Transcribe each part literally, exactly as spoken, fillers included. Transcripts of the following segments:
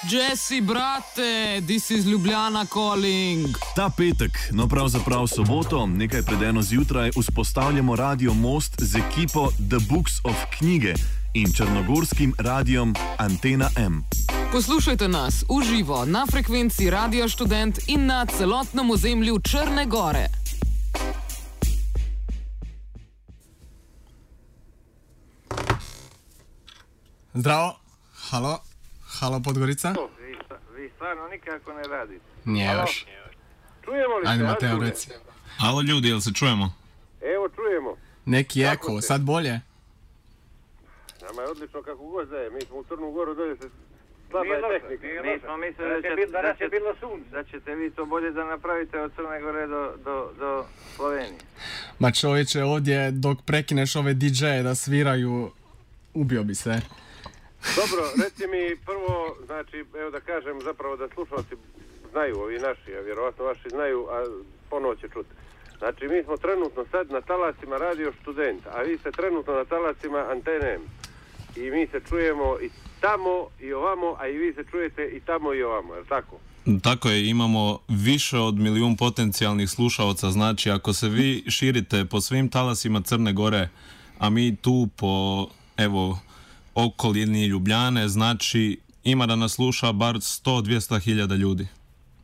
Jesse, brate, this is Ljubljana calling. Ta petek, no pravzaprav soboto, nekaj pred eno zjutraj, vzpostavljamo Radio Most z ekipo The Books of Knjige in črnogorskim radiom Antena M. Poslušajte nas v živo na frekvenci Radio Študent in na celotnem ozemlju Črne Gore. Zdravo, halo, halo Podgorica. Vi, vi stvarno nikako ne radite. Nije još. Čujemo li se? Ajde Mateo, reci. Alo ljudi, jel se čujemo? Evo čujemo. Neki eko, sad bolje? Nama je odlično kako god da je. Mi smo u Crnu Goru, dolje se slaba je tehnika. Mi smo mislili da, će, da, će, da ćete vi to bolje da napravite od Crne Gore do, do, do Slovenije. Ma čovječe, ovdje dok prekineš ove di džeje da sviraju, ubio bi se. Dobro, reci mi prvo, znači, evo da kažem zapravo da slušalci znaju, ovi naši, a vjerovatno vaši znaju, a ponovo će čuti. Znači, mi smo trenutno sad na talasima Radio Študent, a vi ste trenutno na talasima Antene M. I mi se čujemo i tamo i ovamo, a i vi se čujete i tamo i ovamo, je li tako? Tako je, imamo više od milijun potencijalnih slušalaca, znači ako se vi širite po svim talasima Crne Gore, a mi tu po, evo, okolini Ljubljane, znači ima da nas sluša bar sto do dvjesto hiljada ljudi.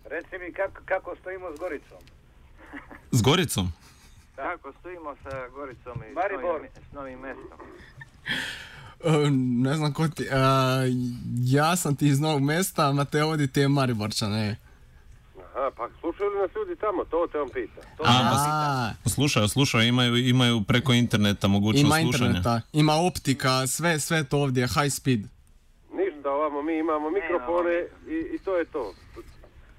Reci mi kako, kako stojimo s Goricom? S Goricom? Tako stojimo sa Goricom i Maribor. s novim, s novim mestom. Uh, ne znam ko ti, uh, ja sam ti iz Novog Mesta, Mateo ovdje ti je Mariborčan, ne? Aha, pa slušaju li nas ljudi tamo, to te on pita. To A, Slušaju, slušaju, imaju, imaju preko interneta mogućnost ima slušanja. interneta, ima optika, sve, sve to ovdje, high speed. Ništa, ovamo mi imamo mikrofone i, i to je to.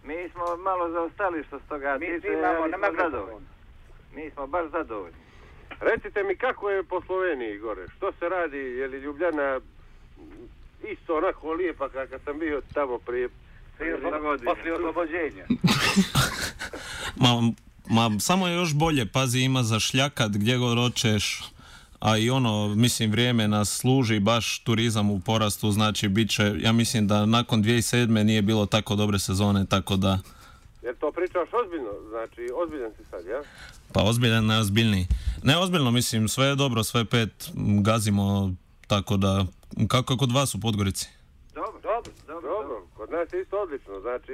Mi smo malo zaostali što s toga Mi tiče, svi imamo ali na smo mikrofon. zadovoljni. Mi smo baš zadovoljni. Recite mi kako je po Sloveniji gore, što se radi, je li Ljubljana isto onako lijepa kad sam bio tamo prije Poslije oslobođenja. Ma, ma samo je još bolje, pazi, ima za šljakat gdje god hoćeš, a i ono, mislim, vrijeme nas služi, baš turizam u porastu, znači bit će, ja mislim da nakon dvije tisuće sedme nije bilo tako dobre sezone, tako da... Jer to pričaš ozbiljno, znači ozbiljan si sad, ja? Pa ozbiljan, ne ozbiljniji. Ne, ozbiljno, mislim, sve je dobro, sve pet gazimo, tako da... Kako je kod vas u Podgorici? Dobro, dobro, dobro, dobro. Kod nas je isto odlično, znači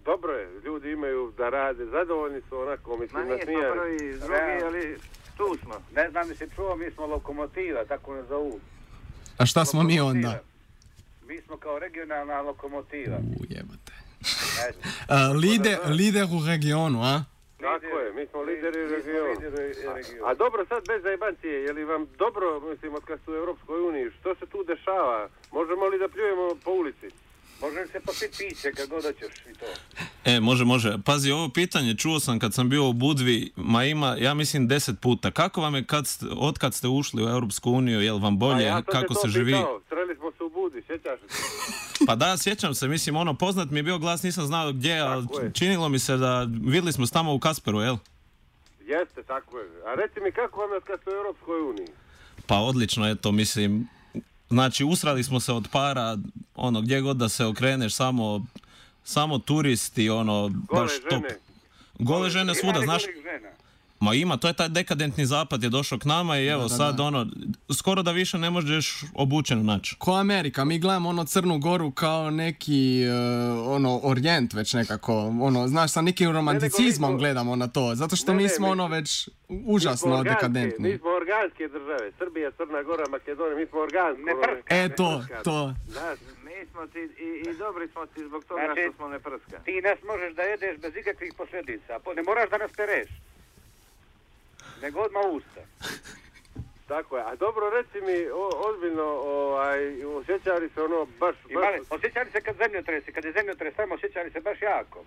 dobro je, ljudi imaju da rade, zadovoljni su onako, mislim, nasmijani. Ma nije to prvi, drugi, ali tu smo. Ne znam mi se čuo, mi smo lokomotiva, tako ne zovu. A šta smo mi onda? Mi smo kao regionalna lokomotiva. U, jebate. uh, lider, lider u regionu, a? Tako je, mi smo lideri u regionu. A, a dobro, sad bez zajebancije, je li vam dobro, mislim, od kad ste u Europskoj uniji, što se tu dešava? Možemo li da pljujemo po ulici? Možeš se popiti piće kad god hoćeš i to. E, može, može. Pazi, ovo pitanje čuo sam kad sam bio u Budvi, ma ima, ja mislim, deset puta. Kako vam je kad ste, od kad ste ušli u Europsku uniju, je li vam bolje, ja kako se pitao. živi? Sreli smo se u Budvi, sjećaš se? Pa da, sjećam se, mislim, ono, poznat mi je bio glas, nisam znao gdje, ali činilo mi se da, vidjeli smo tamo u Kasperu, jel? Jeste, tako je. A reci mi, kako vam je kad ste u Europskoj uniji? Pa odlično, eto, mislim, znači, usrali smo se od para, ono, gdje god da se okreneš, samo, samo turisti, ono, Gole baš top. žene. Gole žene svuda, znaš? Žena. Ma ima, to je taj dekadentni zapad je došao k nama i evo Da, da, sad da. ono, skoro da više ne možeš obučen naći. Ko Amerika, mi gledamo ono Crnu Goru kao neki uh, ono orijent već nekako, ono, znaš, sa nekim romanticizmom mi smo- gledamo na to, zato što Ne, mi ne, smo mi- ono već Mi smo užasno organske, dekadentni. Mi smo organske države, Srbija, Crna Gora, Makedonija, mi smo organsko. Ne prska. E to, to. Znaš, mi smo ti, i, i dobri smo ti zbog toga Znači, što smo ne prska. Ti nas možeš da jedeš bez ikakvih posljedica. Po- Ne moraš da nas pereš. Nego odmah usta. Tako je, a dobro reci mi, o, ozbiljno, ovaj, osjećali se ono baš... Imali, baš... osjećali se kad zemljotresi, kad je zemljotres tamo, osjećali se baš jako.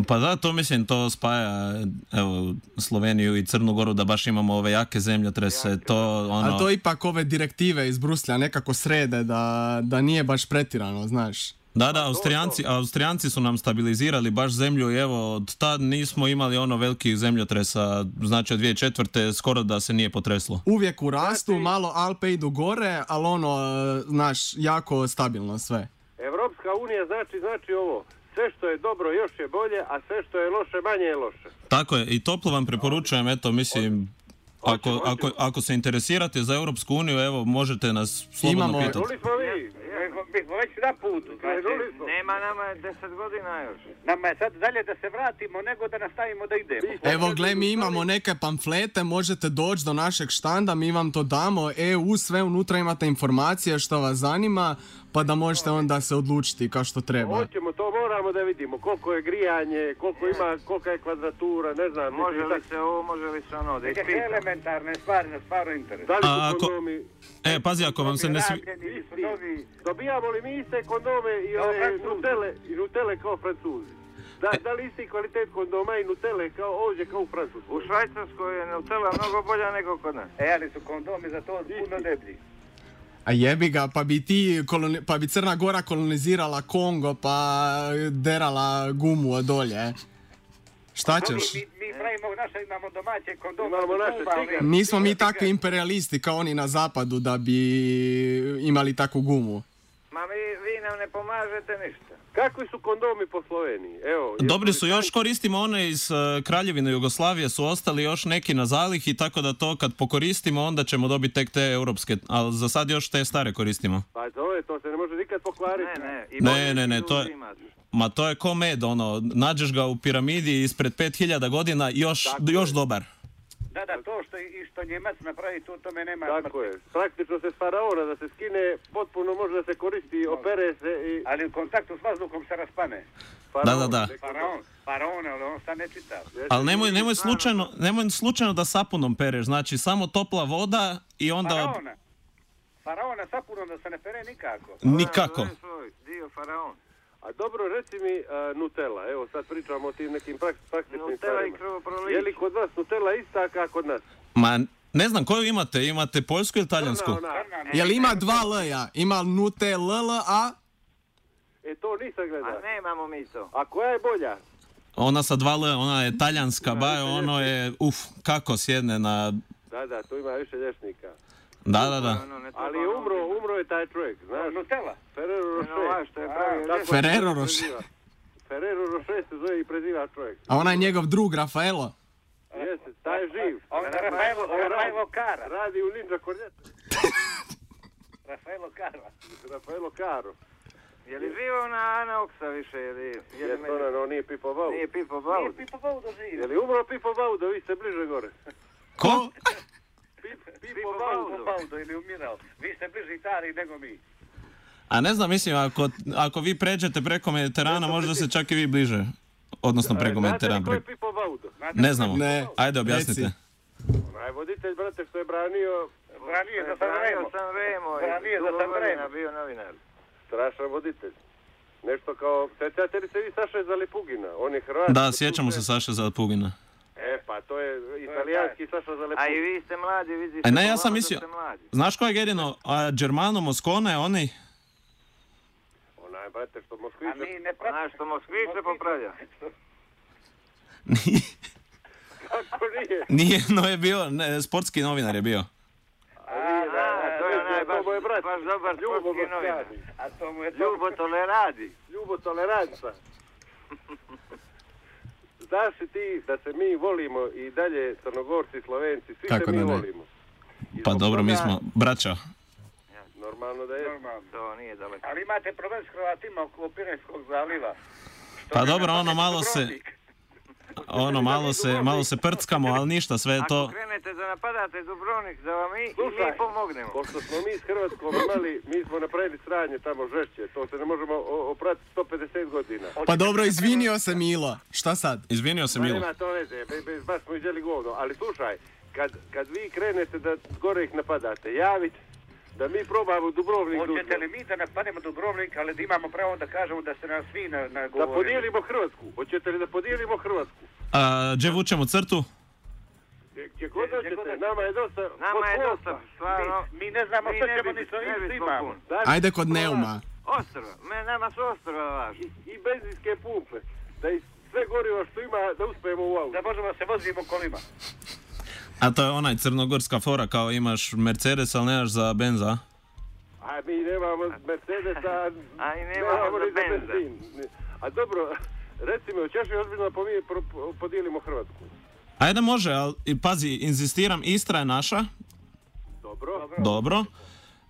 Pa da, to mislim, to spaja, evo, Sloveniju i Crnu Goru, da baš imamo ove jake zemljotrese, to ono... A to ipak ove direktive iz Bruslja nekako srede da, da nije baš pretirano, znaš. Da, da, Austrijanci, Austrijanci su nam stabilizirali baš zemlju i evo, od tad nismo imali ono velikih zemljotresa, znači od dvije tisuće četvrte skoro da se nije potreslo. Uvijek u rastu, malo Alpe idu gore, ali ono, znaš, jako stabilno sve. Evropska Evropska unija znači, znači ovo. Sve što je dobro još je bolje, a sve što je loše manje je loše. Tako je, i toplo vam preporučujem, eto, mislim, ako, Hoćemo, ako, ako se interesirate za Europsku uniju, evo, možete nas slobodno Imamo- pitati. Čuli smo vi. Mi smo već na putu. Krenuli smo. Nema nama je deset godina još. Nama je sad dalje da se vratimo nego da nastavimo da idemo. Evo, gle, mi imamo neke pamflete, možete doći do našeg štanda, mi vam to damo, E U, sve unutra imate informacije što vas zanima, pa da možete onda se odlučiti kao što treba. Hoćemo, to moramo da vidimo. Koliko je grijanje, koliko ima, kolika je kvadratura, ne znam. Može mislim, li se ovo, može li se ono, da Neke ispitam. elementarne stvari na stvarno interes. Da li A su ako- kondomi... E, pazi, ako vam se ne svi... Rabljeni su novi. Dobijamo li mi iste kondome i Kao ove Francuzi. nutele, i nutele kao Francuzi? Da, da li isti kvalitet kondoma i nutele kao ovdje kao u Francuskoj? U Švajcarskoj je Nutella mnogo bolja nego kod nas. E, ali su kondomi za to puno deblji. A jebi ga, pa bi ti, koloni- pa bi Crna Gora kolonizirala Kongo, pa derala gumu od dolje. Šta ćeš? Mi, mi pravimo naše, imamo domaće kondome. Imamo za naše gumu, ali- cigare. Nismo mi takvi imperialisti kao oni na zapadu da bi imali takvu gumu. Ma vi, vi nam ne pomažete ništa. Kakvi su kondomi po Sloveniji? Evo, jesu Dobri li su, još koristimo one iz uh, Kraljevine Jugoslavije, su ostali još neki na zalih i tako da to kad pokoristimo onda ćemo dobiti tek te europske, ali za sad još te stare koristimo. Pa to je, to se ne može nikad pokvariti. Ne, ne. I Ne, bolje ne, ne, ljudi to je- imate. Ma to je ko med, ono, nađeš ga u piramidi ispred pet hiljada godina, još, Tako još je. dobar. Da, da, to što, i što Njemac napravi, tu tome nema Tako smrti. je. Praktično se s faraona da se skine, potpuno može da se koristi, opere se i... Ali u kontaktu s vazduhom se raspane. Faraon, Da, da, da. neki- Faraon, faraon, ali on sad ne čita. Jeste, Ali nemoj, ljudi, nemoj, stvarno, slučajno, nemoj slučajno da sapunom pereš, znači samo topla voda i onda... Faraona. Faraona sapunom da se ne pere nikako. Nikako. To je svoj dio faraon. A dobro, reci mi a, Nutella, evo sad pričamo o tim nekim prak, praktičnim Nutella i stvarima. krvoproliće. Je li kod vas Nutella ista kao kod nas? Ma, ne znam, koju imate? Imate poljsku ili talijansku? Crna ona. Crna, ne. Jel ima dva L-a? Ima Nute L L A? E, to nisam A gledao. nemamo mi to. A koja je bolja? Ona sa dva L, ona je talijanska, ba, ono je, uf, kako sjedne na... Da, da, tu ima više lješnika. Da, da, da. Ono, ne treba Ali je ono umro, biti. umro je taj čovjek, znaš? Nutella. Ferrero Ono, ovaj Rocher. što je pravio Tako lješnik. se Ferrero zove Rocher. preziva. Ferrero Rocher se zove i preziva čovjek. A ona je njegov drug, Rafaelo. Jeste, taj je živ. On je Rafaelo, Rafaelo Kara. Radi u Ninja Cornetto. Rafaelo Kara. Rafaelo Caro. Je li živo na Ana Oksa više? Je li, je li Jeste, ono, no, nije Pipo Bau. Nije Pipo Nije Baud. Pipo Baudo živ. Je li umro Pipo Baudo, vi ste bliže gore. Ko? Pip, Pipo Pipo Baudo. Pipo Baudo ili umirao. Vi ste bliži Italiji nego mi. A ne znam, mislim, ako, ako vi pređete preko Mediterana, možda se čak i vi bliže. Odnosno preko Znate li Mediterana. ko je Preko... Pipo Baudo? Ne znamo. Ne. Ajde, objasnite. Reci. Onaj voditelj, brate, što je branio, Branije za Branio Sanremo. sam Remo i Branije za dugo Sanremo. godina bio novinar. strašan voditelj. Nešto kao, sjećate li se vi Saše Zalepugina? On je Hrvat. Da, sjećamo se Saše Zalepugina. E, pa to je italijanski Saša A i Zalepugin. vi ste mladi, vidi E, se ne, ja po sam vama da mislio- ste mladi. Znaš ko je jedino? A Germano Moscone, oni? Onaj, brate, što A Moskvića... mi ne pratimo. Znaš što Moskvice popravlja? Kako nije? Nije, no je bio, ne, sportski novinar je bio. A, nije, da, A, da, to je da, onaj to baš, mu je brat. baš dobar Ljubo sportski novinar. Moskvani. A to mu je to. Ljubo Toleradi. Ljubo Toleranca. Znaš li ti da se mi volimo i dalje Crnogorci, Slovenci, svi Kako se mi da ne? volimo. I Pa zbog dobro, mi toga- smo braća. Normalno da je. Normalno. To nije daleko. Ali imate problem s Hrvatima oko Pirenskog zaliva. Što Pa ne dobro, napadne ono malo se, Dubrovnik. ono malo se, malo se prckamo, ali ništa, sve je Ako to. krenete da napadate Dubrovnik, da vam mi, i Slušaj, mi pomognemo. Pošto smo mi s Hrvatskom imali, mi smo napravili sranje tamo žešće, to se ne možemo o- opratiti sto pedeset godina. Pa dobro, izvinio se Milo. Šta sad? Izvinio se Ma Milo. nema to veze, be, be, baš smo iđeli govno, ali slušaj, kad, kad vi krenete da gore ih napadate, javite da mi probamo Dubrovnik Hoćete li mi da napadnemo Dubrovnik, ali da imamo pravo da kažemo da se nas svi na, na da govore? podijelimo Hrvatsku. Hoćete li da podijelimo Hrvatsku? A, gdje vučemo crtu? Gdje- Gdje god Gdje- gdje god hoćete, hoćete. nama je dosta Nama je pod dosta, posla. stvarno. Mi, mi ne znamo Mi što ne ćemo bi- ni sa ne ovim bismo što imamo. pun. Znači, Ajde kod pola- Neuma. Ostrva, me, nama su ostrva važni. I, i benzinske pumpe. Da i sve gorivo što ima, da uspijemo u auto. Da možemo se vozimo kolima. A to je onaj crnogorska fora, kao imaš Mercedes, ali nemaš za benza. A A mi nemamo Mercedesa, A i nemamo ni za za benza. benzin. A dobro, reci mi, hoćeš li ozbiljno pomi- pro- podijelimo Hrvatsku? Ajde može, ali i pazi, inzistiram, Istra je naša, Dobro. dobro.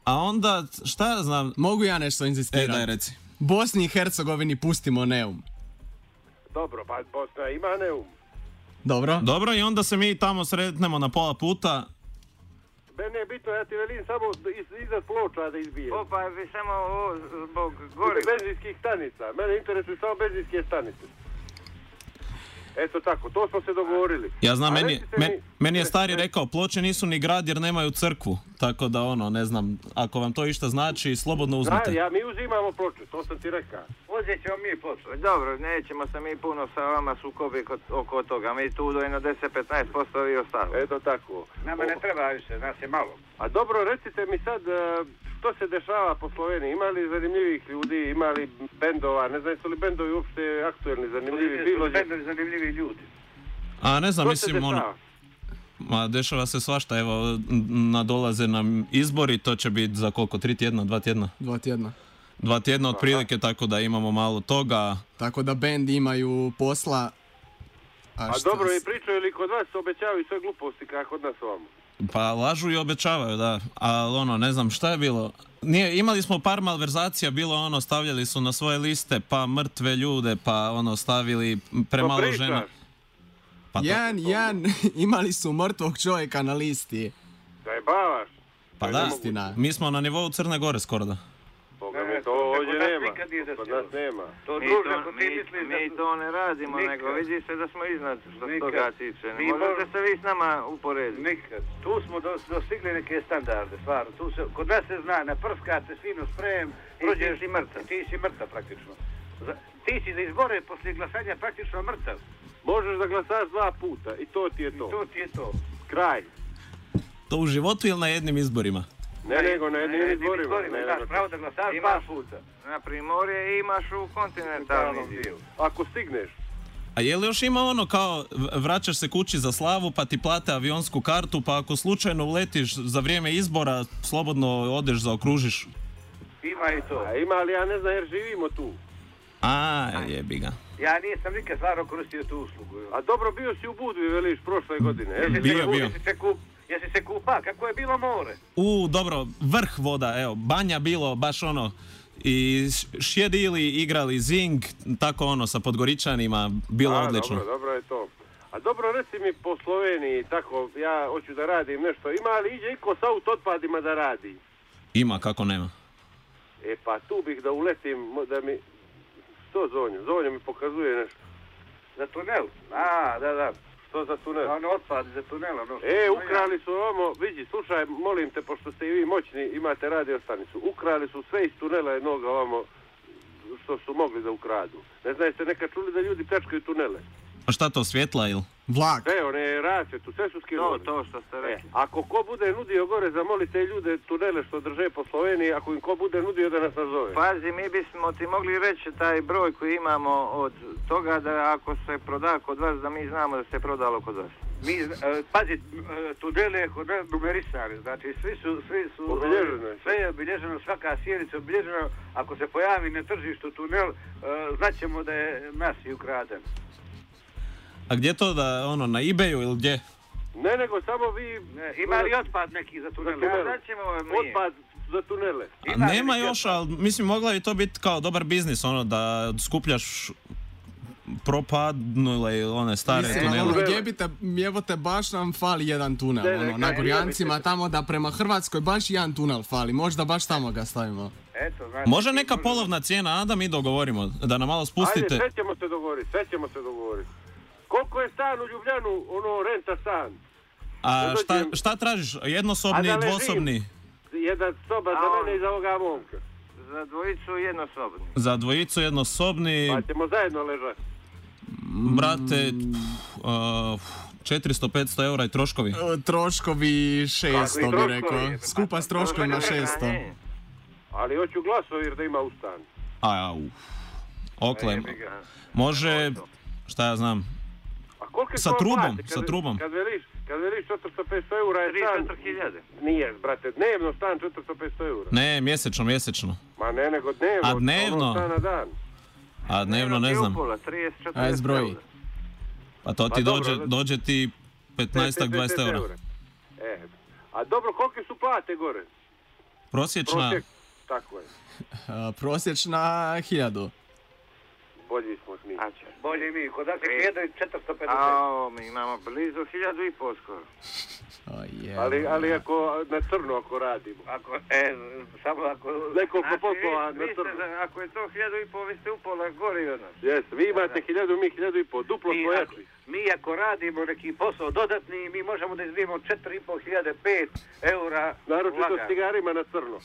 A onda, šta ja znam... Mogu ja nešto E, inzistirati? daj reci. Bosni i Hercegovini pustimo Neum. Dobro, pa Bosna ima Neum. Dobro? Dobro, i onda se mi tamo sretnemo na pola puta. Mene je bitno, ja ti velim samo iz, iznad ploča da izbijem. Opa, vi samo ovo zbog goriva. Benzinskih stanica. Mene interesuju samo benzinske stanice. Eto tako, to smo se dogovorili. Ja znam, A meni, recite me- mi- meni je stari rekao, Ploče nisu ni grad jer nemaju crkvu. Tako da ono, ne znam, ako vam to išta znači, slobodno uzmite. Zna, ja, mi uzimamo ploče, to sam ti rekao. Uzet ćemo mi ploču. Dobro, nećemo se mi puno sa vama sukobi kod, oko toga. Mi tu do jedno deset do petnaest posto vi ostalo. Eto tako. Nama ne treba više, nas je malo. A dobro, recite mi sad, e, što se dešava po Sloveniji? Ima li zanimljivih ljudi, ima li bendova? Ne znam, su li bendovi uopšte aktuelni, zanimljivi? Bilo je... Bendovi zanimljivi ljudi. A ne znam, Što se mislim, ono... dešava? Ma, dešava se svašta, evo, n- nadolaze nam izbori, to će biti za koliko, tri tjedna, dva tjedna? Dva tjedna. Dva tjedna otprilike, tako da imamo malo toga. Tako da bend imaju posla. A šta dobro, s- i pričaju li kod vas obećavaju sve gluposti kako kod nas ovamo? Pa lažu i obećavaju, da. Ali ono, ne znam šta je bilo. Nije, imali smo par malverzacija, bilo ono, stavljali su na svoje liste, pa mrtve ljude, pa ono, stavili premalo pričaš? žena. Pa to- Jedan, jedan, imali su mrtvog čovjeka na listi. Zajebavaš? Pa To je da, nemoguće. Istina. mi smo na nivou Crne Gore skoro da. Boga Ne, mi, to to kod ovdje nas nema. nikad nije Kod desilo. nas nema. To Mi druže, to, ako ti mi, misliš da mi su- to ne radimo, Nikad. nego vidi se da smo iznad što se Nikad. toga tiče. Ne Mi možete mor- se vi s nama uporediti. Nikad. Tu smo dos, dostigli neke standarde, stvarno. Tu se, kod nas se zna, naprskate svino sprem, prođeš si mrtav. Ti si mrtav praktično. Za, ti si za izbore poslije glasanja praktično mrtav. Možeš da glasaš dva puta i to ti je I to. to ti je to. Kraj. To u životu ili na jednim izborima? Ne, nego na jednim izborima. Ne, Imaš nego- pravo da glasaš dva Imaš puta. na Primorje imaš u kontinentalni dio. Ako stigneš. A je li još ima ono kao v- vraćaš se kući za slavu pa ti plate avionsku kartu pa ako slučajno uletiš za vrijeme izbora slobodno odeš zaokružiš? Ima i to. A ima li, ja ne znam jer živimo tu. A, jebi ga. Ja nisam nikad stvarno koristio tu uslugu. A dobro, bio si u Budvi, veliš, prošle godine. jel? Jesi Bio, se, bio. Jesi se, kup, jesi se kupa? Kako je bilo more? U, dobro, vrh voda, evo, banja bilo, baš ono, i š- šjedili, igrali zing, tako ono, sa Podgoričanima, bilo A, odlično. Dobro, dobro je to. A dobro, reci mi po Sloveniji, tako, ja hoću da radim nešto. Ima li iđe iko sa auto otpadima da radi? Ima, kako nema. E pa tu bih da uletim, mo- da mi... Što Zonju? Zonja mi pokazuje nešto. Za tunel? A, da, da. Što za tunel? Ono otpad za tunel. Ono što E, smo ukrali su ovamo, vidi, slušaj, molim te, pošto ste i vi moćni, imate radio stanicu. Ukrali su sve iz tunela jednoga ovamo, što su mogli da ukradu. Ne znam, jeste nekad čuli da ljudi pljačkaju tunele? A šta to, svjetla ili? Vlak. Sve, one rasvjetu, sve su To, skinuli. to što ste E, rekli. ako ko bude nudio gore, zamolite ljude tunele što drže po Sloveniji, ako im ko bude nudio da nas nazove. Pazi, mi bismo ti mogli reći taj broj koji imamo od toga da ako se proda kod vas, da mi znamo da se prodalo kod vas. Mi, e, pazi, e, tunele je kod nas numerisani, znači svi su, svi su, Obilježeno je. sve je obilježeno, svaka sjednica obilježena, ako se pojavi na tržištu tunel, e, znaćemo da je nas i ukraden. A gdje to da, ono, na eBayu ili gdje? Ne, nego samo vi... Ne, ima li otpad neki za tunel? Za tunel. Znaćemo mi. Otpad za tunele. A Ima nema neki još, ali mislim mogla bi to biti kao dobar biznis, ono, da skupljaš propadnule one stare Mislim, tunele. ono, jebite, jebote, baš nam fali jedan tunel, Ne, ne, ono, kaj, na Gorjancima, jebite. tamo da prema Hrvatskoj baš jedan tunel fali, možda baš tamo ga stavimo. Eto, znači, Može neka može- polovna cijena, a da mi dogovorimo, da nam malo Ajde, spustite. sve ćemo se dogovoriti, sve ćemo se dogovoriti. Koliko je stan u Ljubljanu, ono, renta stan? A šta, dođem- šta tražiš? Jednosobni, A da ležim. dvosobni? Jedna soba A za on- mene i za ovoga momka. Za dvojicu jednosobni. Za dvojicu jednosobni, Pa ćemo zajedno ležati. brate, pff, uh, četiristo do petsto eura i troškovi. E, Troškovi šesto Kako i bi troškovi? rekao, skupa s troškovima šesto. Ne, Ali hoću glasovir da ima u stan. A, uf. Oklem. Jebi ga. Može, šta ja znam, A koliko je Sa to trubom, plate? Kad, sa trubom. Kad veliš, kad veliš četiristo pedeset eura je tri stan... četiri hiljade. Nije, brate, dnevno stan četiristo pedeset eura. Ne, mjesečno, mjesečno. Ma ne, nego dnevno. A dnevno? Ono stan na dan. A dnevno ne znam. Upola, trideset četrdeset Aj, zbroji. eura. Pa to Pa ti dobro, dođe, ne- dođe ti petnaest dvadeset eura. E, a dobro, kolike su plate gore? Prosječna, Prosjek, tako je. A, prosječna hiljadu. Bolji smo mi. A će. Bolje mi, kod nas je hiljadu i četiristo pedeset. A ovo, mi imamo blizu hiljadu i pol skoro. O, je. Ali, ali ako na crno ako radimo. Ako, e, samo ako... Nekoliko Znači, poslova vi, na vi ste, crno. za- ako je to hiljadu i pol, vi ste upola gori od nas. Jes, vi imate hiljadu, mi hiljadu i pol. Duplo Mi smo ako, jači. mi ako radimo neki posao dodatni, mi možemo da izbijemo četiri i pol hiljade, pet eura Naročito lagano. s cigarima na crno.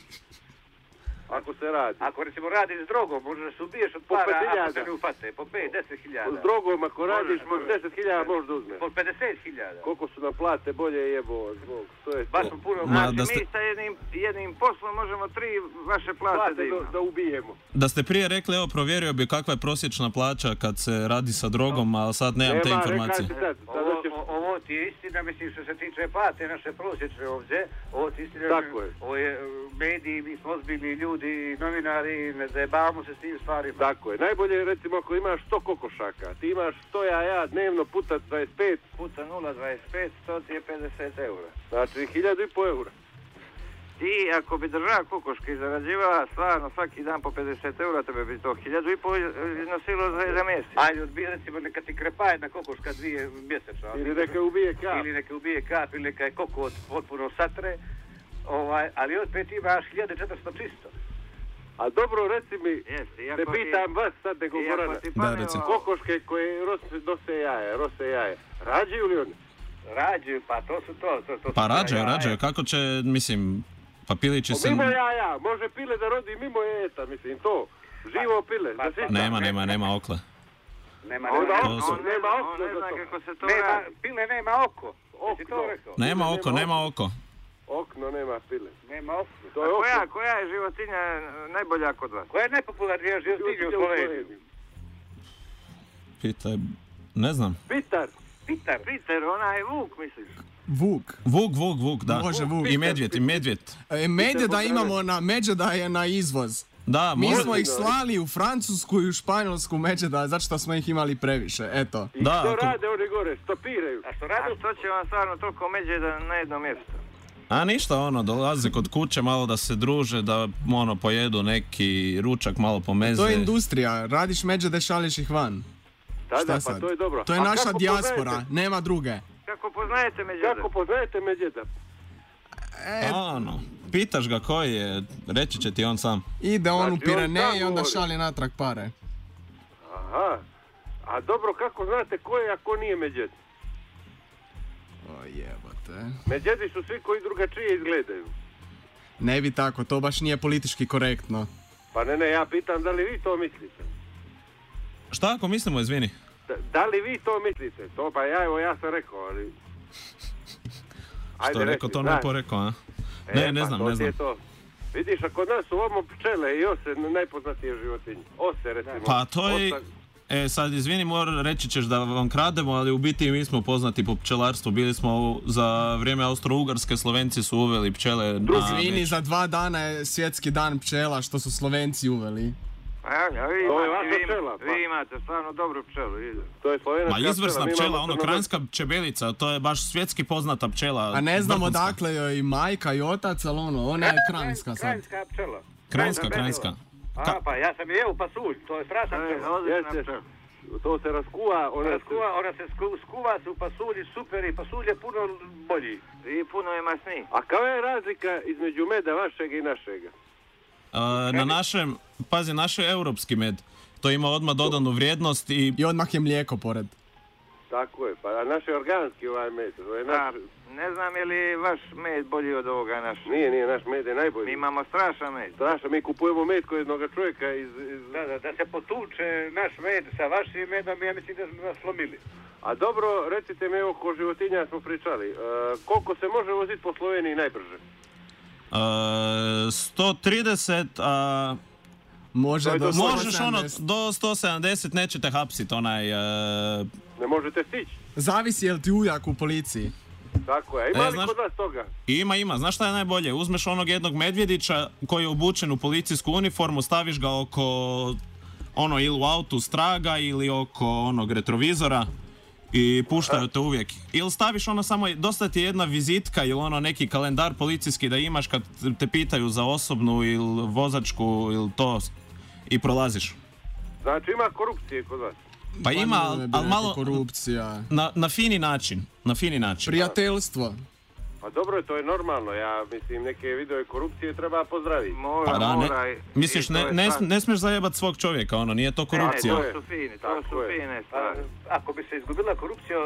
Ako se radi. Ako recimo radiš s drogom, možeš da se ubiješ od Po para pet ako hiljada. se ne ufate. Po pet, deset hiljada. S drogom ako radiš po može. deset hiljada možda uzmeš. Po pedeset hiljada. Koliko su nam plate bolje jebo zbog. To je Baš to. smo puno... Ma, Znači, da ste- mi sa jednim, jednim poslom možemo tri vaše plate da Plate da, imamo. da ubijemo. da ste prije rekli, evo provjerio bi kakva je prosječna plaća kad se radi sa drogom, a sad nemam te Nema, informacije. rekaj ti sad. Sada Ovo, ćeš... o- ovo ti je istina, mislim što se tiče plate naše prosječne ovdje, ovo ti je istina, Tako je. ovo je e, mediji, mi smo ozbiljni ljudi, novinari, ne zajebavamo se s tim stvarima. Tako je. Najbolje je recimo ako imaš sto kokošaka, ti imaš sto jaja dnevno puta dvadeset pet, Puta nula zarez dvadeset pet, to ti je pedeset eura. znači hiljadu i po eura. Ti, ako bi država kokoške i zarađivala stvarno svaki dan po pedeset eura, tebe bi to hiljadu i pol nosilo za jedan mjesec. Ajde, odbije recimo neka ti krepa jedna kokoška dvije mjesečno. ali- Ili neka ubije kap. Ili neka ubije kap, ili neka je kokot potpuno satre, ovaj, ali opet imaš hiljadu četiristo čisto. A dobro, reci mi, Jeste, te iako pitam vas sad nego i- iako Gorana. ti Da, pane recimo. ovo- Kokoške koje rose, nose jaje, rose jaje. Rađaju li one? Rađaju, pa to su to. to, to su Pa ta rađaju, jaja. rađaju, kako će, mislim, pa pilići se... Mimo jaja, može pile da rodi mimo jeta, mislim, to. Živo pile, pa da to- sisa. Nema, nema, nema okle. Nema, Onda nema, on- To su- On ne nema zna, okno on ne za zna to. kako se to nema, radi. pile nema oko. Jesi to Okno. rekao? Nema oko, nema oko. Okno nema pile. Nema oko. To A je koja, okno. koja je životinja najbolja kod vas? Koja je najpopularnija životinja u Sloveniji? Pitaj, ne znam. Pitar. Pitar. Peter, onaj vuk, misliš? Vuk. Vuk, vuk, vuk, da. Može vuk. I medvjed, i medvjed. E, Medvjeda imamo na, Međeda je na izvoz. Da, Mi može... smo ih slali u Francusku i u Španjolsku Međeda, zato što smo ih imali previše, eto. I Da, što ako- rade oni gore? Stopiraju. A što A radu? što će vam stvarno toliko međeda na jedno mjesto? A ništa, ono, dolaze kod kuće malo da se druže, da ono, pojedu neki ručak, malo pomeze. To je industrija, radiš Međede, šališ ih van. Da, Šta da, pa sad? to je dobro. To je A naša kako dijaspora, poznajete- nema druge. Kako poznajete međeda? Kako poznajete Međeda? E, Ono, pitaš ga koji je, reći će ti on sam. ide on u Znači, on Pireneje sam i onda govori. šalje natrag pare. Aha. A dobro, kako znate ko je, a ko nije Međed? O jebote. Međedi su svi koji drugačije izgledaju. Ne bi tako, to baš nije politički korektno. Pa ne, ne, ja pitam da li vi to mislite? Šta ako mislimo, izvini? Da, da li vi to mislite? To pa ja, evo ja sam rekao, ali... Što je rekao, reci, to ne znaš. porekao, a? E, Ne, ne pa znam, to ne ti je znam. to. Vidiš, a kod nas su ovamo pčele i ose najpoznatije životinje. Ose, recimo. Pa to je... Osa- E, sad, izvini, mora, reći ćeš da vam krademo, ali u biti mi smo poznati po pčelarstvu. Bili smo u- za vrijeme Austro-Ugarske, Slovenci su uveli pčele na... Izvini, za dva dana je svjetski dan pčela što su Slovenci uveli. Pa ja, vi, To je imate, vaša vi, pčela, pa. vi imate stvarno dobru pčelu. ide. To je slovenačka Ma izvrsna mi pčela, imamo ono, crnogorska- kranjska pčebelica, to je baš svjetski poznata pčela. A ne znamo vrhunska. dakle joj i majka i otac, ali ono, ona je kranjska sad. Kranjska pčela. Kranjska, kranjska. A, pa ja sam jeo pasulj, to je strašna To je pčela. odlična Jeste. pčela. To se raskuva, ona Ona, se... skuva, ona se sku, skuva se u pasulji, super, i pasulj je puno bolji. I puno je masniji. A kao je razlika između meda vašega i našega? A, na našem, pazi, naš je europski med. To ima odmah dodanu vrijednost i... I odmah je mlijeko pored. Tako je, pa a naš je organski ovaj med. To je A, naš... ne znam je li vaš med bolji od ovoga naš. Nije, nije, naš med je najbolji. Mi imamo strašan med. Strašno, mi kupujemo med kod jednog čovjeka iz... iz... Da, da, da se potuče naš med sa vašim medom, ja mislim da smo nas slomili. A dobro, recite mi, evo, ko životinja smo pričali. E, koliko se može voziti po Sloveniji najbrže? a, sto trideset, a... Može To je do do- Možeš sto ono, sedamdeset. do sto sedamdeset nećete hapsit, onaj... e, Ne možete stići. Zavisi jel ti ujak u policiji. Tako je. Ima E, li znaš- kod vas toga? Ima, ima. Znaš šta je najbolje? Uzmeš onog jednog medvjedića koji je obučen u policijsku uniformu, staviš ga oko ono ili u autu straga ili oko onog retrovizora i puštaju te uvijek. Ili staviš ono samo, dosta ti je jedna vizitka ili ono neki kalendar policijski da imaš kad te pitaju za osobnu ili vozačku ili to i prolaziš. Znači ima korupcije kod vas. Pa ima, ne ali bi al rekao malo korupcija. na, na fini način. Na fini način. Prijateljstvo. Pa dobro je, to je normalno. Ja mislim, neke vidove korupcije treba pozdraviti. Mora, Pa da, ne, mora. i- misliš, i to ne, je ne, stvar. ne smiješ zajebat svog čovjeka, ono, nije to korupcija. Ne, to su fini, to Tako su je. fine A, stvari. ako bi se izgubila korupcija,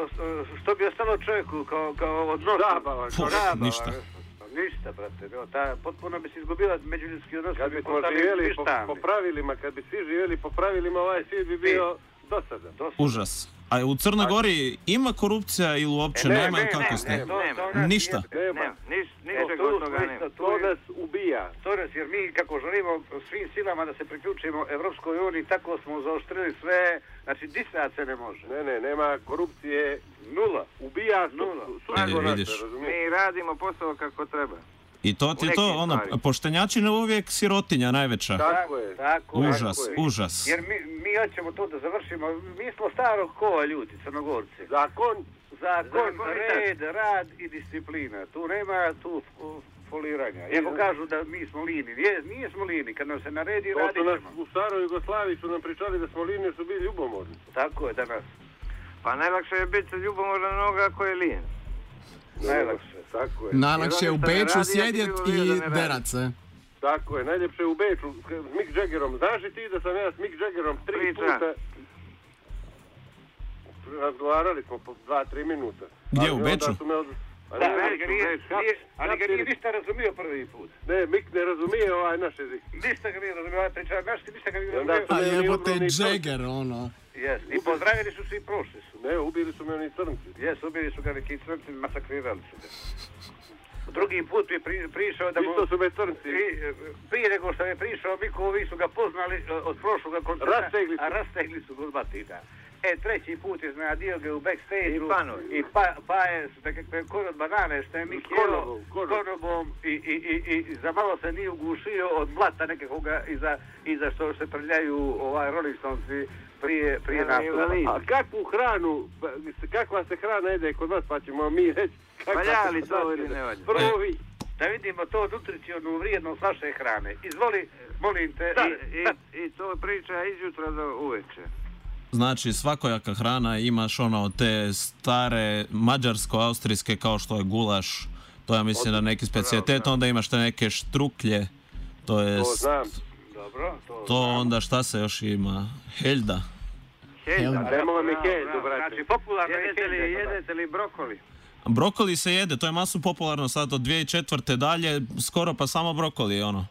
što bi ostalo čovjeku kao, kao odnos? Zabava, Puh, Zabava, ništa. Pa ništa, brate. No, ta, potpuno bi se izgubila međuljudski odnos. Kad bi bismo postali živjeli po, ništavni. po pravilima, kad bi svi živjeli po pravilima, ovaj svijet bi bio dosadan. Užas. A u Crnoj Gori ima korupcija ili uopće E, ne, nema ne, ili kako ne, ste? ne, to- Nema. to nas Ništa. jebe. Nema. Nema, niš, To, ničeg to, od toga to, nema. to, To nas ubija. To nas, jer mi kako želimo svim silama da se priključimo Evropskoj uniji, tako smo zaoštrili sve, znači disat se ne može. Ne, ne, nema korupcije. Nula. Ubija Nula. sudstvo E, naše, vidiš. razumiješ? Mi radimo posao kako treba. I to ti U je to, nekim ono, stvarima. poštenjačina uvijek sirotinja najveća. Tako je. Tako je. Užas, tako je. užas. Jer mi, mi hoćemo to da završimo, mi smo starog kova ljudi, Crnogorci. Zakon, Zakon, Zakon i red, rad i disciplina. Tu nema tu f- foliranja. Iako kažu da mi smo lini, nije, nije smo lini, kad nam se naredi to radit su nas ćemo. u staroj Jugoslaviji su nam pričali da smo linije su bili ljubomorni. Tako je danas. Pa najlakše je biti ljubomoran onoga koji je lijen. Najlakše. Tako je. Najlakše je u Jer ono što ne Beču radi, ja sjedjet bi bilo da i ne radi. derat se. Tako je, najljepše je u Beču s Mick Jaggerom. Znaš li ti da sam ja s Mick Jaggerom tri Priča. puta razgovarali smo po dva, tri minuta. Gdje, Ali u onda Beču? su me od- A Da, ne, ali ga nije, Beč, nije, ali ga nije Hapsili- ništa razumio prvi put. Ne, Mick ne razumije ovaj naš jezik. Ništa ga nije razumio, ovaj priča, znaš ti ništa ga nije I onda razumio. su A me oni jebote ogromni Jagger, ono. Jes, i pozdravili su se i prošli su. Ne, ubili su me oni crnci. Jes, ubili su ga neki crnci, masakrirali su ga. Drugi put je pri, prišao da mu... Isto su me crnci. Pri, prije nego što je prišao, Miko, ovi su ga poznali e, od prošloga koncerta, Rastegli su. a rastegli su ga od batina. E, treći put iznenadio ga u backstage-u I panovi. i pa, pa je s nekakve korod banane što je Mik S jeo konobom, s konob. konobom i, i, i, i za malo se nije ugušio od blata nekakvoga iza, iza što se prljaju ovaj Rolling Stonesi prije, prije Ja, nastupa. invalid. A kakvu hranu, pa, kakva se hrana jede kod vas, pa ćemo mi reći kakva Valja se li to hrana ili jede. ne valja? Prvo vi. Da vidimo to nutricionalnu vrijednost vaše hrane. Izvoli, molim te. I, i, I to priča izjutra do uveče. Znači, svakojaka hrana, imaš ono te stare mađarsko-austrijske kao što je gulaš, to ja mislim da neki specijalitet, onda imaš te neke štruklje, to je To znam. Dobro, to... to onda šta se još ima, heljda. Helda. Nemoj mi Bravo, heldu, bravo. brate. Znači, popularno je Jedete li, helda, jedete li brokoli? Brokoli se jede, to je masu popularno sad od dvije tisuće četvrte dalje, skoro pa samo brokoli, ono.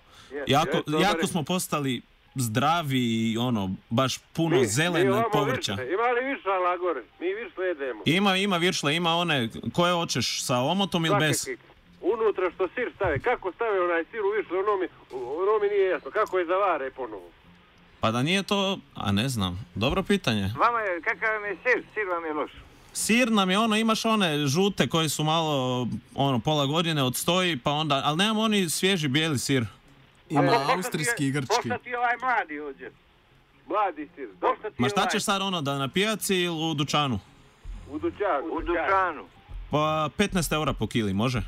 Jako, jest, dobar jako je. smo postali zdravi i ono, baš puno Mi- zelene mi ovamo povrća. viršle. Ima li viršala gore? Mi viršle jedemo. Ima, ima viršle, ima one, koje hoćeš, sa omotom ili bez? Svakakvi. Unutra što sir stave, kako stave onaj sir u viršle, ono mi, ono mi nije jasno. Kako je zavare ponovo? Pa da nije to, a ne znam, dobro pitanje. Vama je, kakav vam je sir? Sir vam je loš. Sir nam je ono, imaš one žute koji su malo, ono, pola godine odstoji, pa onda, ali nemamo oni svježi bijeli sir. Ima Pošta ti je- austrijski i grčki. Pošta ti je ovaj mladi ovdje. Mladi sir, Pošta ti Ma je šta ovaj- ćeš sad ono, da na pijaci ili u dućanu? u dućanu. U dućanu. Pa petnaest eura po kili, može?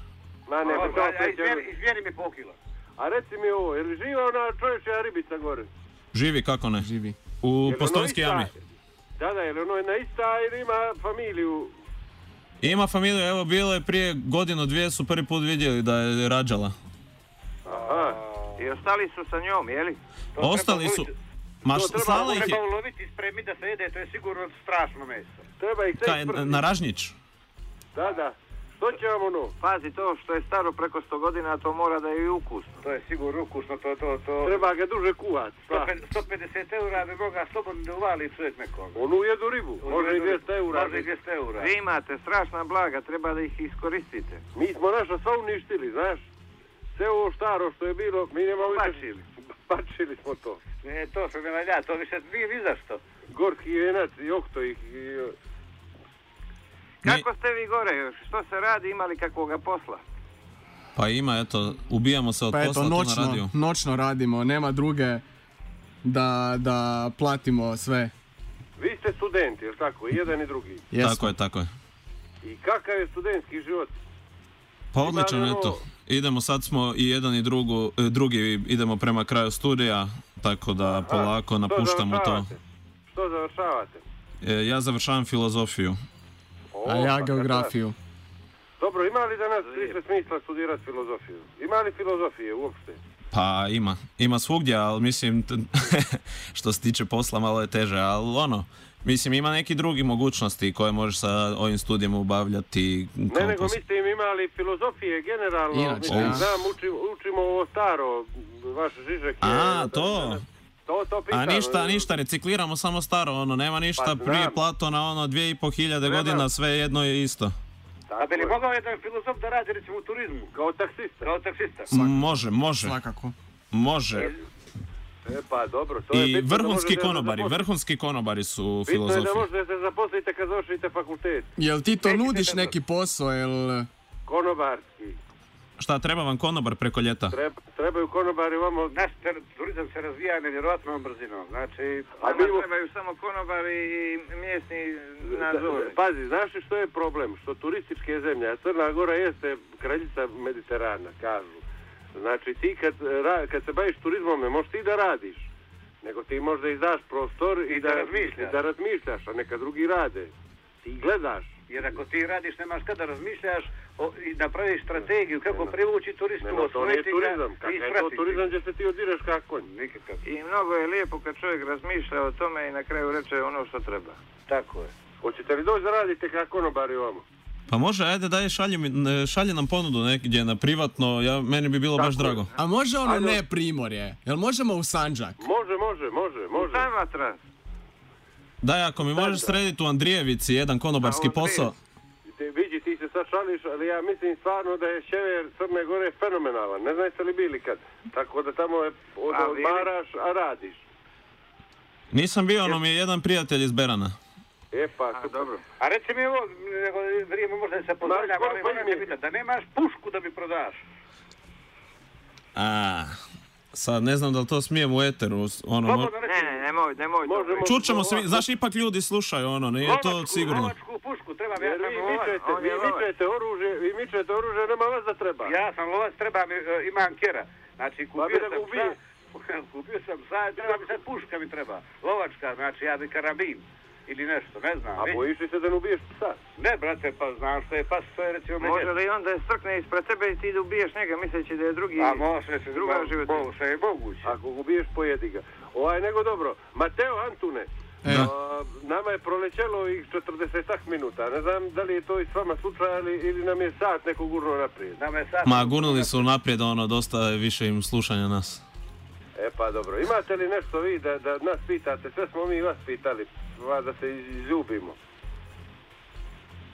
Ma ne, Ovo, pa a- a to pet izmjeri, eura. izmjeri mi po kila. A reci mi ovo, je li živa ona čovječja ribica gore? Živi, kako ne? Živi. U Je li ono Postojnski ista? jami. Da, da, je li ono jedna ista ili ima familiju? Ima familiju, evo bilo je prije godinu, dvije su prvi put vidjeli da je rađala. Aha. I ostali su sa njom, jeli? To Ostali treba su, uloviti- ma To š- treba- slala ih je, Treba uloviti i spremiti da se jede, to je sigurno strašno meso. Treba ih kaj, sve sprti. na Ražnjić. Da, da. Što će vam ono? Pazi, to što je staro preko sto godina, to mora da je i ukusno. To je sigurno ukusno, to, to, to... Treba ga duže kuvati. Pa. sto pedeset eura bi mogao slobodno da uvali čovjek nekom. Onu jedu ribu. Može i dvjesto eura. Može i dvjesto eura. Vi imate strašna blaga, treba da ih iskoristite. Mi smo naša sva uništili, znaš. Sve ovo staro što je bilo, mi nemamo više... Bačili. Bačili smo to. Ne, to se ne valja, to više nije ni zašto. Gorki venac i okto ih... I... Kako ste vi gore? Što se radi? Ima li kakvoga posla? Pa ima, eto, ubijamo se od Pa posla eto, tu na radiju. noćno, noćno radimo, nema druge da, da platimo sve. Vi ste studenti, jel tako? I jedan i drugi. Jesmo. Tako je, tako je. I kakav je studentski život? Pa odličan, Ima li eto. ovo- Idemo, sad smo i jedan i drugu, e, drugi idemo prema kraju studija, tako da polako Što napuštamo to. završavate? Što završavate? E, ja završavam filozofiju. O, A ja pa geografiju. kakav. Dobro, ima li danas više smisla studirati filozofiju? Ima li filozofije uopšte? Pa ima, ima svugdje, ali mislim, t- što se tiče posla malo je teže, ali ono, mislim ima neki drugi mogućnosti koje možeš sa ovim studijem obavljati. Ne, kao nego posao. mislim imali filozofije generalno. Inače, mislim, ja. znam, učimo, učimo ovo staro, vaš Žižek je... A, to? To, to pitam. A ništa, ništa, recikliramo samo staro, ono, nema ništa Pa znam. prije Platona, ono, dvije i po hiljade Treba. godina, sve jedno je isto. A bi li mogao jedan filozof da radi recimo u turizmu? Kao taksista. Kao taksista? M- Može, može, Svakako. može. E pa dobro, to je I bitno da vrhunski možete da se konobari, zaposlite. vrhunski konobari su Bitno je filozofi. da možete da se zaposlite kad završite fakultet. Jel ti to Nećete nudiš dobro. neki posao, jel... Konobarski. Šta, treba vam konobar preko ljeta? Treba, trebaju konobari vamo... Naš ter- turizam se razvija nevjerojatnom brzinom, znači... A Nama mi- trebaju samo konobari i mjesni Da- nadzori. Pazi, znaš li što je problem? Što turističke zemlje, a Crna Gora jeste kraljica Mediterana, kažu. Znači ti kad, ra- kad se baviš turizmom ne možeš ti da radiš, nego ti možda izdaš prostor i, I da razmišljaš. i da razmišljaš, a neka drugi rade. Ti gledaš. Jer ako ti radiš, nemaš kada razmišljaš o, i napraviš strategiju kako Nema. privući turistu, Nema, to nije osvojiti ga turizam. i Kakav je to ispratiti. turizam gdje se ti odireš kako konj? Nikakav. I mnogo je lijepo kad čovjek razmišlja o tome i na kraju reče ono što treba. Tako je. Hoćete li doći da radite kako konobari ovamo? Pa može, ajde, daj, šalji, mi- ne, šalji nam ponudu negdje na privatno, ja, meni bi bilo baš Tako je. drago. A može ono Ajde. ne Primorje? Jel možemo u Sandžak? Može, može, može, može. Samatra. Daj, ako mi možeš srediti u Andrijevici jedan konobarski A, u posao. Ti, vidi, ti se sad šališ, ali ja mislim stvarno da je sjever Crne Gore fenomenalan. Ne znate li bili kad? Tako da tamo je, od, A, bili? odmaraš, a radiš. Nisam bio, ono mi je jedan prijatelj iz Berana. E pa, A, dobro. A reci mi ovo, nego vrijeme možda se pozdravljam, Znaš ali koliko moram im te je? pitat, da nemaš pušku da mi prodaš? A, sad ne znam da li to smijem u eteru, ono, mo- Slobodno reci. Ne, ne, nemoj, nemoj to. Može, reći. može. čućemo svi, znaš, ipak ljudi slušaju, ono, nije to Lovačku- sigurno. Lovačku pušku, trebam, ja jer sam vi lovac. mičete, on vi je lovac. mičete oružje, vi mičete oružje, nema vas da treba. Ja sam lovac, treba mi, e, imam kjera. Znači, Pa kupio bi da ga sam ubije. psa, kupio sam psa, treba mi sad puška mi treba. Lovačka, znači ja bi karabin. Ili nešto, ne znam. A već. bojiš li se da ne ubiješ psa? Ne, brate, pa znam što je pas, to je recimo Može medvjed. li on da je strkne ispred tebe i ti da ubiješ njega misleći da je drugi... A može se, druga mo- životinja. mo- sve je moguće. Ako ga ubiješ, pojedi ga. Ovaj, nego dobro. Mateo Antune, E. a, nama je prolećelo ovih četrdesetak minuta. Ne znam da li je to i s vama slučaj ali, ili nam je sat neko gurno naprijed. Nama je sad... Ma, gurnuli su naprijed, ono, dosta je više im slušanja nas. E pa dobro. Imate li nešto vi da, da nas pitate? Sve smo mi vas pitali. Va da se izljubimo.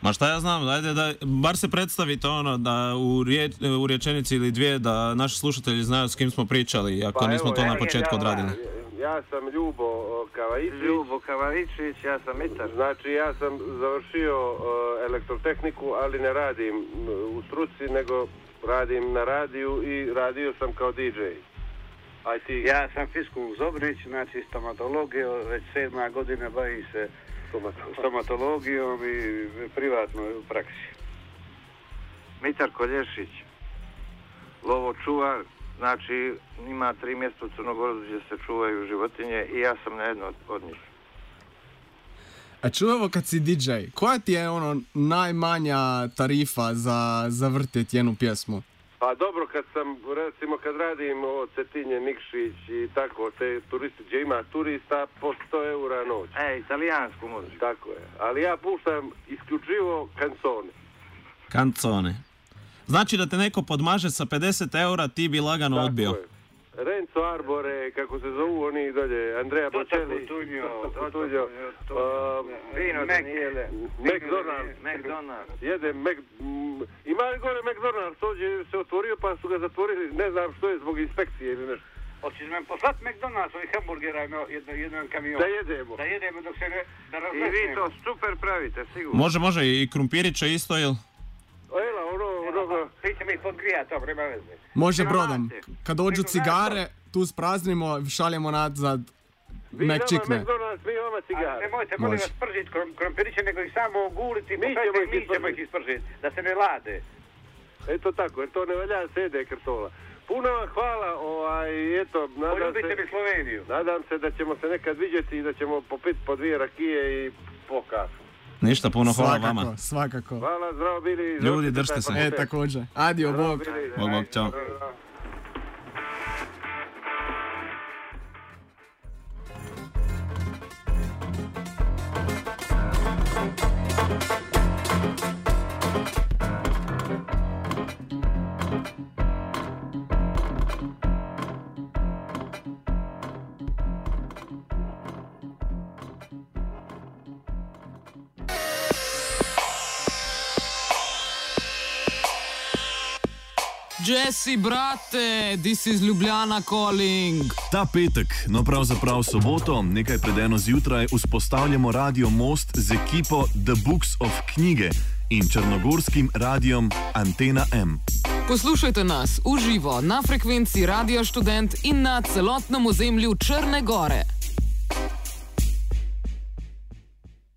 Ma šta ja znam, ajde da, bar se predstavite ono, da u, riječ, u rječenici ili dvije, da naši slušatelji znaju s kim smo pričali, ako Pa nismo evo, to ja- na početku ja- odradili. Ja sam Ljubo o, Kavaičić. Ljubo Kavaričić, ja sam Mitar. Znači ja sam završio uh, elektrotehniku, ali ne radim m, u struci, nego radim na radiju i radio sam kao di džej. Aj ti, Ja sam Fiskun Zobrić, znači stomatologija, već sedma godina bavim se stomatolog. stomatologijom i privatno u praksi. Mitar Kolješić, lovočuvar, znači ima tri mjesta u Crnogoru gdje se čuvaju životinje i ja sam na jedno od, od njih. A čujemo kad si di džej, koja ti je ono najmanja tarifa za, za vrtit jednu pjesmu? Pa dobro, kad sam, recimo kad radim o Cetinje, Nikšić i tako, te turisti, gdje ima turista, po sto eura noć. E, italijansku muziku. Tako je. Ali ja puštam isključivo kancone. Kancone. Znači da te neko podmaže sa pedeset eura, ti bi lagano Tako odbio. je. Renzo Arbore, kako se zovu oni dolje, Andrea Toto Bocelli, Cutugno, Toto Toto Cutugno, Cutugno, um, Vino Mac- Daniele. McDonald's. McDonald's. Jede Mac... m, Ima li gore McDonald's, ovdje se otvorio pa su ga zatvorili, ne znam što je, zbog inspekcije ili nešto. Hoćeš me poslati McDonald's ovih hamburgera jedno, jednom kamionu? Da jedemo. Da jedemo dok se ne da I razlesnemo. vi to super pravite, sigurno. Može, može, i krumpirića isto, jel? Ela, ono, ono... Ti će mi podgrijati, to prema veze. Može Nema brodom. veze. Kad dođu cigare, tu spraznimo, šaljemo nazad Vi nama McChickne. McDonald's, mi vama A cigare. nemojte, molim Može. vas, spržiti krom- krompiriće, nego ih samo oguliti, Mi posadite, ćemo ih mi ćemo ispržiti. ih ispržiti, da se ne lade. Eto tako, jer to ne valja sede krtola. Puno vam hvala, ovaj, eto, nadam Poljubite se, mi Sloveniju. nadam se da ćemo se nekad vidjeti i da ćemo popiti po dvije rakije i po kafu. Ništa, puno hvala Svakako, vama. svakako. Hvala, zdravo bili. Ljudi, završite držite taj se. E, fakultet. također. Adio, Zdravo bog. bili. Bog, bog, čao. Zdravo. Jesse, brate, this is Ljubljana calling. Ta petek, no pravzaprav soboto, nekaj pred eno zjutraj, vzpostavljamo Radio Most z ekipo The Books of Knjige in črnogorskim radiom Antena M. Poslušajte nas v živo na frekvenci Radio Študent in na celotnem ozemlju Črne Gore.